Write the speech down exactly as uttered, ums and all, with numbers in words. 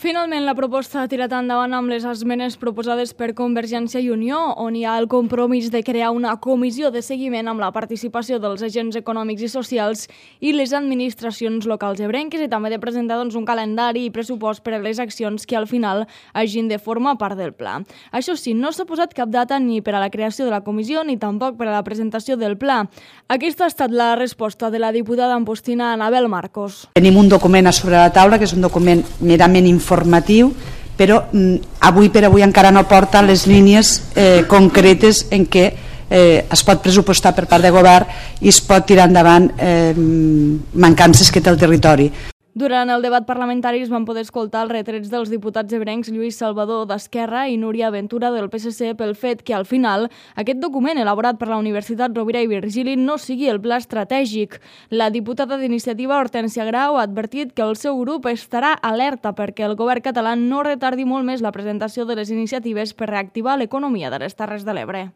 Finalment, la proposta ha tirat endavant amb les esmenes proposades per Convergència i Unió, on hi ha el compromís de crear una comissió de seguiment amb la participació dels agents econòmics i socials i les administracions locals ebrenques i també de presentar doncs, un calendari i pressupost per a les accions que al final hagin de formar part del pla. Això sí, no s'ha posat cap data ni per a la creació de la comissió ni tampoc per a la presentació del pla. Aquesta ha estat la resposta de la diputada ampostina Anabel Marcos. Tenim un document a sobre la taula que és un document merament informatiu, però mm, avui per avui encara no porta les línies eh, concretes en què eh, es pot pressupostar per part de govern i es pot tirar endavant eh, mancances que té el territori. Durant el debat parlamentari es van poder escoltar els retrets dels diputats ebrencs Lluís Salvador d'Esquerra i Núria Ventura del P S C pel fet que al final aquest document elaborat per la Universitat Rovira i Virgili no sigui el pla estratègic. La diputada d'Iniciativa Hortènsia Grau ha advertit que el seu grup estarà alerta perquè el govern català no retardi molt més la presentació de les iniciatives per reactivar l'economia de les Terres de l'Ebre.